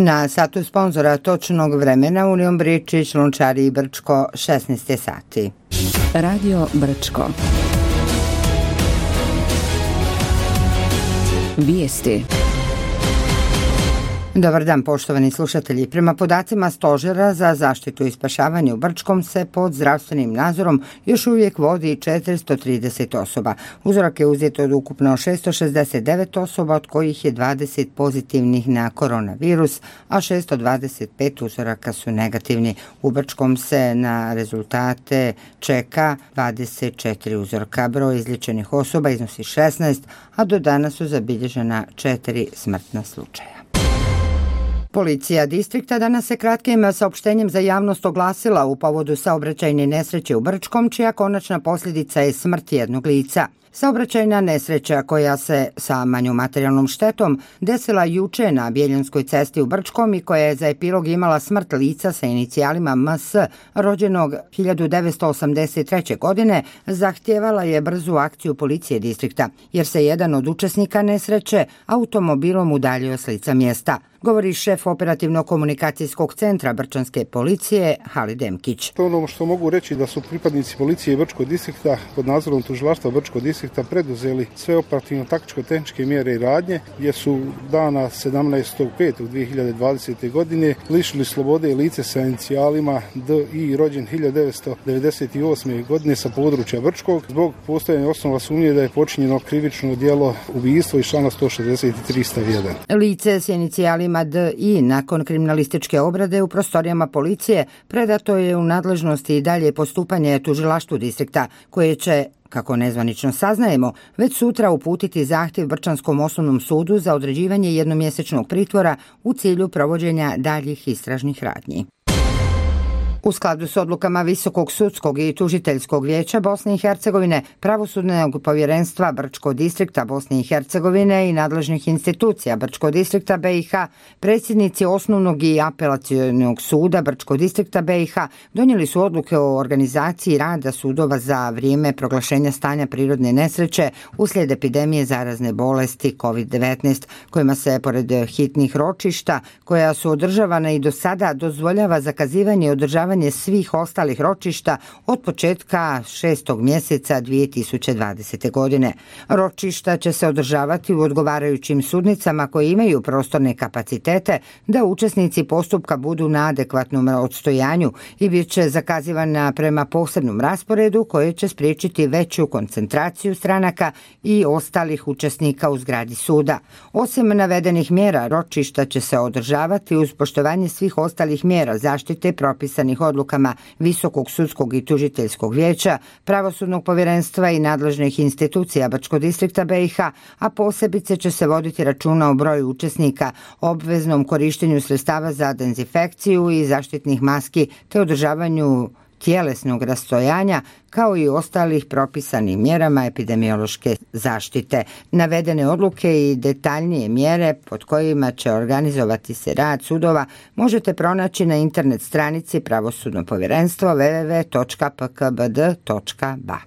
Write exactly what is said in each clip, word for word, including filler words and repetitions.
Na satu sponzora točnog vremena Union Bričić, Lončari i Brčko, šesnaest sati. Radio Brčko. Vijesti. Dobar dan, poštovani slušatelji. Prema podacima Stožera za zaštitu i spašavanje u Brčkom se pod zdravstvenim nadzorom još uvijek vodi četiristo trideset osoba. Uzorak je uzet od ukupno šesto šezdeset devet osoba, od kojih je dvadeset pozitivnih na koronavirus, a šesto dvadeset pet uzoraka su negativni. U Brčkom se na rezultate čeka dvadeset četiri uzorka. Broj izliječenih osoba iznosi šesnaest, a do danas su zabilježena četiri smrtna slučaja. Policija distrikta danas se kratkim saopštenjem za javnost oglasila u povodu saobraćajne nesreće u Brčkom, čija konačna posljedica je smrt jednog lica. Saobraćajna nesreća koja se sa manjom materijalnom štetom desila juče na Bjeljanskoj cesti u Brčkom i koja je za epilog imala smrt lica sa inicijalima M S, rođenog hiljadu devetsto osamdeset treće. godine, zahtijevala je brzu akciju policije distrikta, jer se jedan od učesnika nesreće automobilom udaljio s lica mjesta. Govori šef operativno-komunikacijskog centra Brčanske policije Halid Demkić. Ono što mogu reći da su pripadnici policije Brčkog distrikta pod nadzorom tužilaštva Brčkog distrikta preduzeli sve operativno-taktičko-tehničke mjere i radnje, gdje su dana sedamnaestog petog dvije hiljade dvadesete. godine lišili slobode lice sa inicijalima D I rođen hiljadu devetsto devedeset osme. godine sa područja Brčkog zbog postojanja osnova sumnje da je počinjeno krivično djelo ubijstvo iz člana sto šezdeset tri stav jedan. Lice s inicijalima D I nakon kriminalističke obrade u prostorijama policije predato je u nadležnosti i dalje postupanje tužilaštvu distrikta, koje će, kako nezvanično saznajemo, već sutra uputiti zahtjev Brčanskom osnovnom sudu za određivanje jednomjesečnog pritvora u cilju provođenja daljih istražnih radnji. U skladu s odlukama Visokog sudskog i tužiteljskog vijeća Bosne i Hercegovine, Pravosudnog povjerenstva Brčkog distrikta Bosne i Hercegovine i nadležnih institucija Brčkog distrikta B i H, predsjednici Osnovnog i apelacionog suda Brčkog distrikta B i H donijeli su odluke o organizaciji rada sudova za vrijeme proglašenja stanja prirodne nesreće uslijed epidemije zarazne bolesti kovid devetnaest, kojima se, pored hitnih ročišta, koja su održavana i do sada, dozvoljava zakazivanje i održavanje svih ostalih ročišta od početka šestog mjeseca dvije tisuće dvadesete. godine. Ročišta će se održavati u odgovarajućim sudnicama koje imaju prostorne kapacitete da učesnici postupka budu na adekvatnom odstojanju i bit će zakazivana prema posebnom rasporedu koje će spriječiti veću koncentraciju stranaka i ostalih učesnika u zgradi suda. Osim navedenih mjera, ročišta će se održavati uz poštovanje svih ostalih mjera zaštite propisanih odlukama Visokog sudskog i tužiteljskog vijeća, Pravosudnog povjerenstva i nadležnih institucija Brčkog distrikta B i H, a posebice će se voditi računa o broju učesnika, obveznom korištenju sredstava za dezinfekciju i zaštitnih maski te održavanju tjelesnog rastojanja, kao i ostalih propisanih mjerama epidemiološke zaštite. Navedene odluke i detaljnije mjere pod kojima će organizovati se rad sudova možete pronaći na internet stranici Pravosudnog povjerenstva w w w točka p k b d točka b a.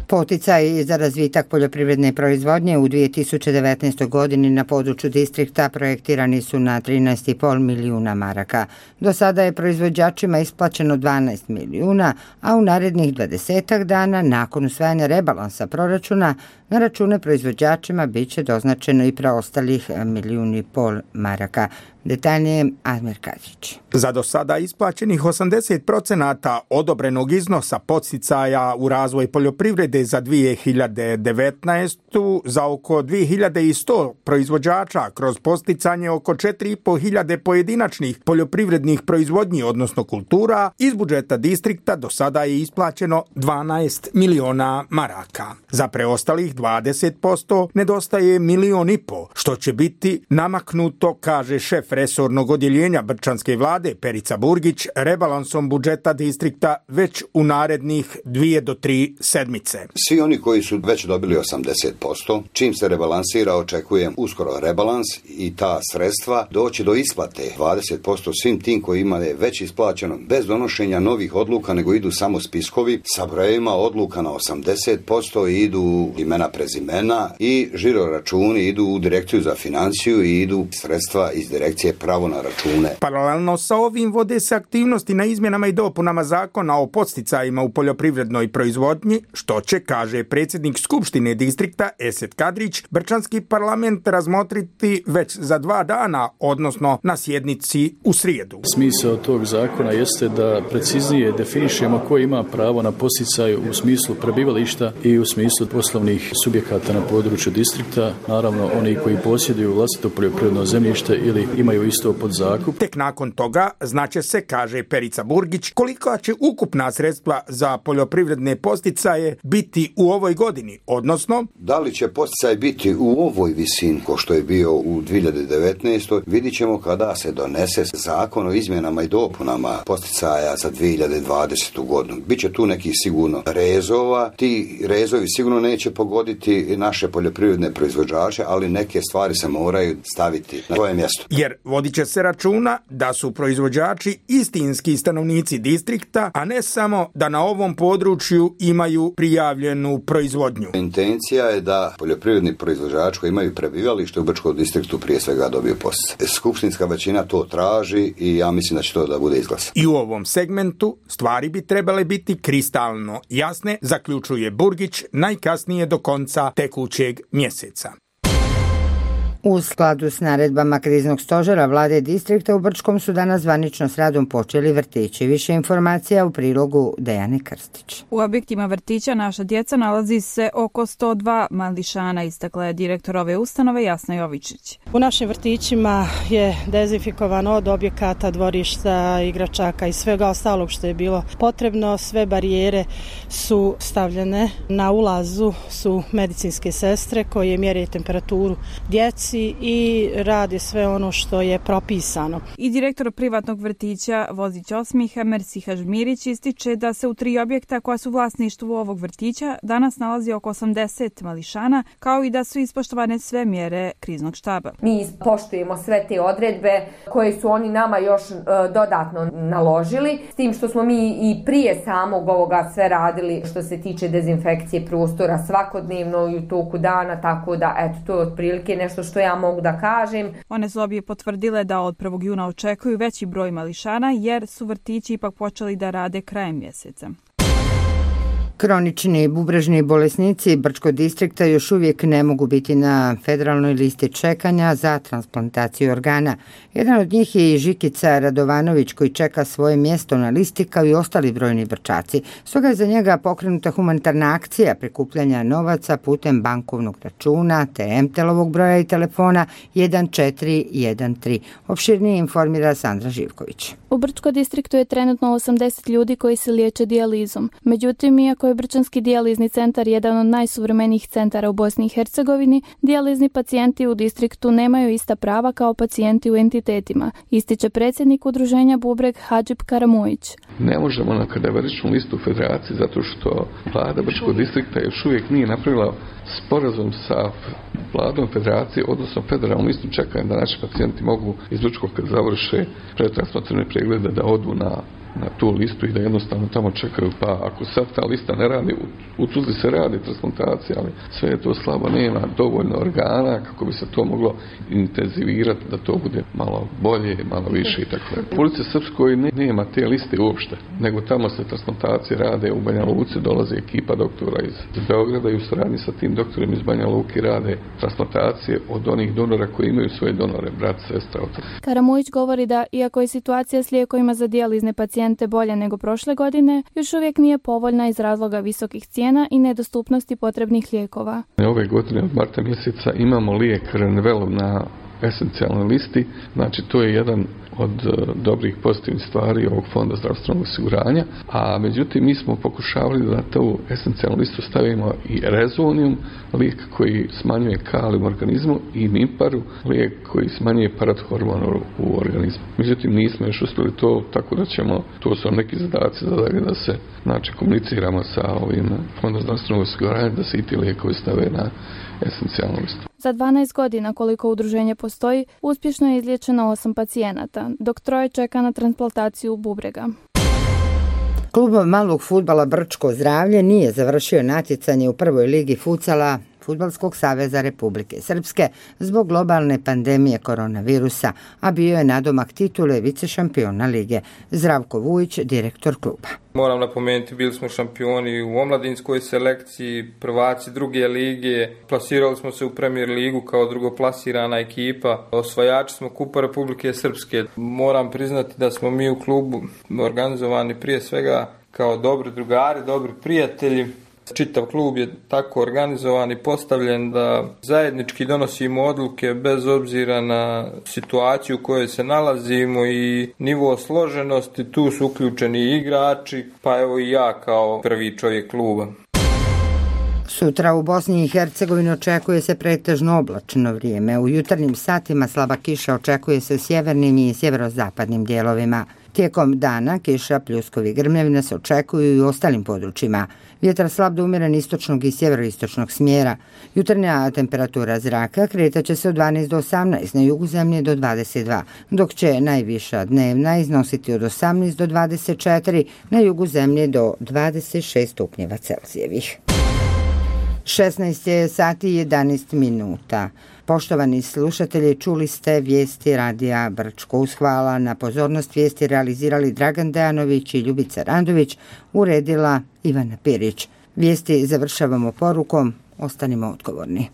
Poticaji za razvitak poljoprivredne proizvodnje u dvije tisuće devetnaestoj. godini na području distrikta projektirani su na trinaest i pol milijuna maraka. Do sada je proizvođačima isplaćeno dvanaest milijuna, a u narednih dvadesetak dana nakon usvajanja rebalansa proračuna na račune proizvođačima bit će doznačeno i preostalih milijun i pol maraka. Detaljnije Admir Kadrić. Za do sada isplaćenih osamdeset procenata odobrenog iznosa podsticaja u razvoj poljoprivrede za dvije hiljade devetnaestu. za oko dvije hiljade sto proizvođača kroz posticanje oko četiri i pol hiljade pojedinačnih poljoprivrednih proizvodnji, odnosno kultura, iz budžeta distrikta do sada je isplaćeno dvanaest miliona maraka. Za preostalih dvadeset posto nedostaje milion i po, što će biti namaknuto, kaže šef resornog odjeljenja Brčanske vlade Perica Burgić, rebalansom budžeta distrikta već u narednih dvije do tri sedmice. Svi oni koji su već dobili osamdeset posto, čim se rebalansira, očekujem uskoro rebalans i ta sredstva doći do isplate dvadeset posto svim tim koji imaju već isplaćeno bez donošenja novih odluka, nego idu samo spiskovi sa brojevima odluka na osamdeset posto i idu imena imena, prezimena i žiro računi idu u direkciju za financiju i idu sredstva iz direkcije pravo na račune. Paralelno sa ovim vode se aktivnosti na izmjenama i dopunama zakona o podsticajima u poljoprivrednoj proizvodnji, što će, kaže predsjednik Skupštine distrikta Esed Kadrić, Brčanski parlament razmotriti već za dva dana, odnosno na sjednici u srijedu. Smisao tog zakona jeste da preciznije definišemo ko ima pravo na podsticaj u smislu prebivališta i u smislu poslovnih subjekata na području distrikta, naravno oni koji posjeduju vlastito poljoprivredno zemljište ili imaju isto pod zakup. Tek nakon toga znaće se, kaže Perica Burgić, koliko će ukupna sredstva za poljoprivredne podsticaje biti u ovoj godini, odnosno da li će podsticaj biti u ovoj visini ko što je bio u dvije hiljade devetnaestoj. Vidit ćemo kada se donese zakon o izmjenama i dopunama podsticaja za dvije hiljade dvadesetu godinu. Biće tu nekih sigurno rezova. Ti rezovi sigurno neće pogoditi naše poljoprivredne proizvođače, ali neke stvari se moraju staviti na svoje mjesto. Jer vodit će se računa da su proizvođači istinski stanovnici distrikta, a ne samo da na ovom području imaju prijavljenu proizvodnju. Intencija je da poljoprivredni proizvođači koji imaju prebivalište u Brčkom distriktu prije svega dobiju podsticaj. Skupštinska većina to traži i ja mislim da će to da bude izglasano. I u ovom segmentu stvari bi trebale biti kristalno jasne, zaključuje Burgić, najkasnije do konca tekućeg mjeseca. U skladu s naredbama kriznog stožera vlade distrikta u Brčkom su danas zvanično s radom počeli vrtići. Više informacija u prilogu Dejane Krstić. U objektima vrtića Naša djeca nalazi se oko sto dva mališana, istakla je direktor ove ustanove Jasna Jovičić. U našim vrtićima je dezinfikovano od objekata, dvorišta, igračaka i svega ostalog što je bilo potrebno. Sve barijere su stavljene. Na ulazu su medicinske sestre koje mjere temperaturu djeci i radi sve ono što je propisano. I direktor privatnog vrtića Vozić Osmiha Mersiha Žmirić ističe da se u tri objekta koja su vlasništvu ovog vrtića danas nalazi oko osamdeset mališana, kao i da su ispoštovane sve mjere kriznog štaba. Mi poštujemo sve te odredbe koje su oni nama još e, dodatno naložili, s tim što smo mi i prije samog ovoga sve radili što se tiče dezinfekcije prostora svakodnevno i u toku dana, tako da eto, to je otprilike nešto što ja mogu da kažem. One su obje potvrdile da od prvog juna očekuju veći broj mališana jer su vrtići ipak počeli da rade krajem mjeseca. Kronični bubrežni bolesnici Brčkog distrikta još uvijek ne mogu biti na federalnoj listi čekanja za transplantaciju organa. Jedan od njih je i Žikica Radovanović koji čeka svoje mjesto na listi kao i ostali brojni Brčaci. Stoga je za njega pokrenuta humanitarna akcija prikupljanja novaca putem bankovnog računa te em te el-ovog broja i telefona jedan četiri jedan tri. Opširnije informira Sandra Živković. U Brčkom distriktu je trenutno osamdeset ljudi koji se liječe dijalizom. Međutim, iako je Brčanski dijalizni centar jedan od najsuvremenijih centara u Bosni i Hercegovini, dijalizni pacijenti u distriktu nemaju ista prava kao pacijenti u entitetima, ističe predsjednik udruženja Bubreg Hadžib Karamojić. Ne možemo na kadaveričnu listu federacije zato što vlada Brčkog distrikta još uvijek nije napravila sporazum sa vladom federacije, odnosno federalnom listom čekanja da naši pacijenti mogu iz Brčkog kad završe pretransplantativne preglede da odu na na tu listu i da jednostavno tamo čekaju, pa ako sad ta lista ne radi, u Tuzli se radi transplantacija, ali sve je to slabo, nema dovoljno organa kako bi se to moglo intenzivirati da to bude malo bolje, malo više i tako. U Republici Srpskoj nema te liste uopšte, nego tamo se transplantacije rade u Banja Luci, dolaze ekipa doktora iz Beograda i u suradnji sa tim doktorima iz Banja Luki rade transplantacije od onih donora koji imaju svoje donore, brat, sestra, otac. Karamojić govori da, iako je situacija s lijekovima za dijalizne pacijente bolje nego prošle godine, još uvijek nije povoljna iz razloga visokih cijena i nedostupnosti potrebnih lijekova. Ove godine od marta mjeseca imamo lijek Renvelov na esencijalnoj listi, znači to je jedan od dobrih pozitivnih stvari ovog fonda zdravstvenog osiguranja, a međutim mi smo pokušavali da na tu esencijalnu listu stavimo i rezonium, lijek koji smanjuje kalijum u organizmu, i mimparu, lijek koji smanjuje parathormon u organizmu. Međutim nismo još uspjeli to, tako da ćemo, to su neki zadaci da, da se znači komuniciramo sa ovim fondom zdravstvenog osiguranja da se i ti lijekovi stave na esencijalnu listu. Za dvanaest godina koliko udruženje postoji, uspješno je izliječeno osam pacijenata, dok troje čeka na transplantaciju bubrega. Klub malog fudbala Brčko Zdravlje nije završio natjecanje u prvoj ligi futsala Fudbalskog saveza Republike Srpske zbog globalne pandemije koronavirusa, a bio je nadomak titule vicešampiona lige. Zdravko Vujić, direktor kluba. Moram napomenuti, bili smo šampioni u omladinskoj selekciji, prvaci druge lige, plasirali smo se u Premier ligu kao drugoplasirana ekipa, osvajači smo Kupa Republike Srpske. Moram priznati da smo mi u klubu organizovani prije svega kao dobri drugari, dobri prijatelji. Čitav klub je tako organizovan i postavljen da zajednički donosimo odluke bez obzira na situaciju u kojoj se nalazimo i nivo složenosti. Tu su uključeni i igrači, pa evo i ja kao prvi čovjek kluba. Sutra u Bosni i Hercegovini očekuje se pretežno oblačno vrijeme. U jutarnjim satima slaba kiša očekuje se u sjevernim i sjeverozapadnim dijelovima. Tijekom dana kiša, pljuskovi i grmljavina se očekuju i u ostalim područjima. Vjetar slab do umjeren istočnog i sjeveroistočnog smjera. Jutarnja temperatura zraka kretat će se od dvanaest do osamnaest, na jugu zemlje do dvadeset dva, dok će najviša dnevna iznositi od osamnaest do dvadeset četiri, na jugu zemlje do dvadeset šest stupnjeva Celzijevih. šesnaest je sati i jedanaest minuta. Poštovani slušatelji, čuli ste vijesti radija Brčko. Uz hvala na pozornost vijesti realizirali Dragan Dejanović i Ljubica Randović, uredila Ivana Pirić. Vijesti završavamo porukom: ostanimo odgovorni.